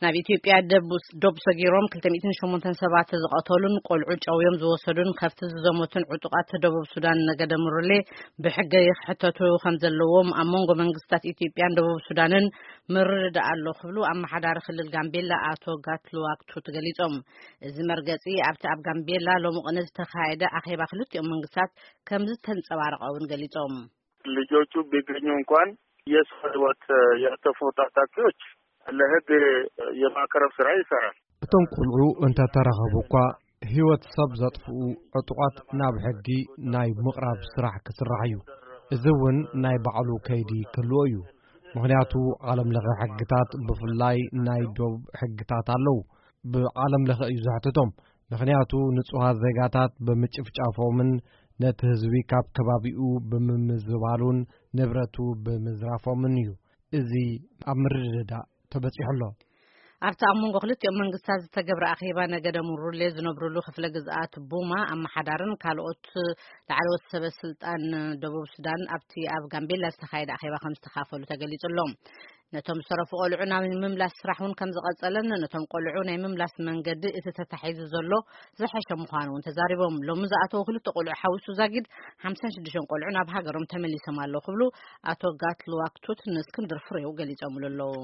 ናብ ኢትዮጵያ ደቡስ- ዶብ ሰጊሮም ክልተ ሚእትን ሸሞንተን ሰባት ዝቐተሉን ቆልዑ ጨውዮም ዝወሰዱን ከፍቲ ዝዘመቱን ዕጡቓት ደቡብ ሱዳን ነገደ ምሩሌ ብሕገ ይክሕተቱ ከም ዘለዎም ኣብ መንጎ መንግስታት ኢትዮጵያን ደቡብ ሱዳንን ምርድዳእ ኣሎ ክብሉ ኣመሓዳሪ ክልል ጋምቤላ ኣቶ ጋትሉዋክ ቱት ገሊጾም። እዚ መርገጺ ኣብቲ ኣብ ጋምቤላ ሎሚ ቅነ ዝተኻየደ ኣኼባ ክልቲኦም መንግስታት ከም ዝተንጸባረቐ እውን ገሊጾም። ልጆቹ ቢገኙ እንኳን የሰው ህይወት ያጠፉ ታጣቂዎች ለህግ የማቅረብ ስራ ይሰራል። እቶም ቆልዑ እንተተረኸቡ እኳ ህይወት ሰብ ዘጥፍኡ ዕጡቓት ናብ ሕጊ ናይ ምቕራብ ስራሕ ክስራሕ እዩ። እዚ እውን ናይ ባዕሉ ከይዲ ክህልዎ እዩ። ምኽንያቱ ዓለም ለኸ ሕግታት ብፍላይ ናይ ዶብ ሕግታት ኣለዉ። ብዓለም ለኸ እዩ ዘሕትቶም። ምኽንያቱ ንጹሃት ዜጋታት ብምጭፍጫፎምን ነቲ ህዝቢ ካብ ከባቢኡ ብምምዝባሉን ንብረቱ ብምዝራፎምን እዩ። እዚ ኣብ ምርድዳእ ተበጺሑ ኣሎ። ኣብቲ ኣብ መንጎ ክልቲኦም መንግስታት ዝተገብረ ኣኼባ ነገደ ሙሩሌ ዝነብሩሉ ክፍለ ግዝኣት ቡማ ኣመሓዳርን ካልኦት ላዕለዎት ሰበ ስልጣን ደቡብ ሱዳን ኣብቲ ኣብ ጋምቤላ ዝተኻየደ ኣኼባ ከም ዝተኻፈሉ ተገሊጹ ኣሎ። ነቶም ዝተረፉ ቆልዑ ናብ ምምላስ ስራሕ እውን ከም ዝቐጸለን ነቶም ቆልዑ ናይ ምምላስ መንገዲ እቲ ተታሒዙ ዘሎ ዝሐሸ ምዃኑ እውን ተዛሪቦም። ሎሚ ዝኣተዉ ክልተ ቆልዑ ሓዊሱ ዛጊድ ሓምሳን ሽዱሽተን ቆልዑ ናብ ሃገሮም ተመሊሶም ኣለዉ ክብሉ ኣቶ ጋትሉዋክ ቱት ንእስክንድር ፍሬው ገሊጾምሉ ኣለዉ።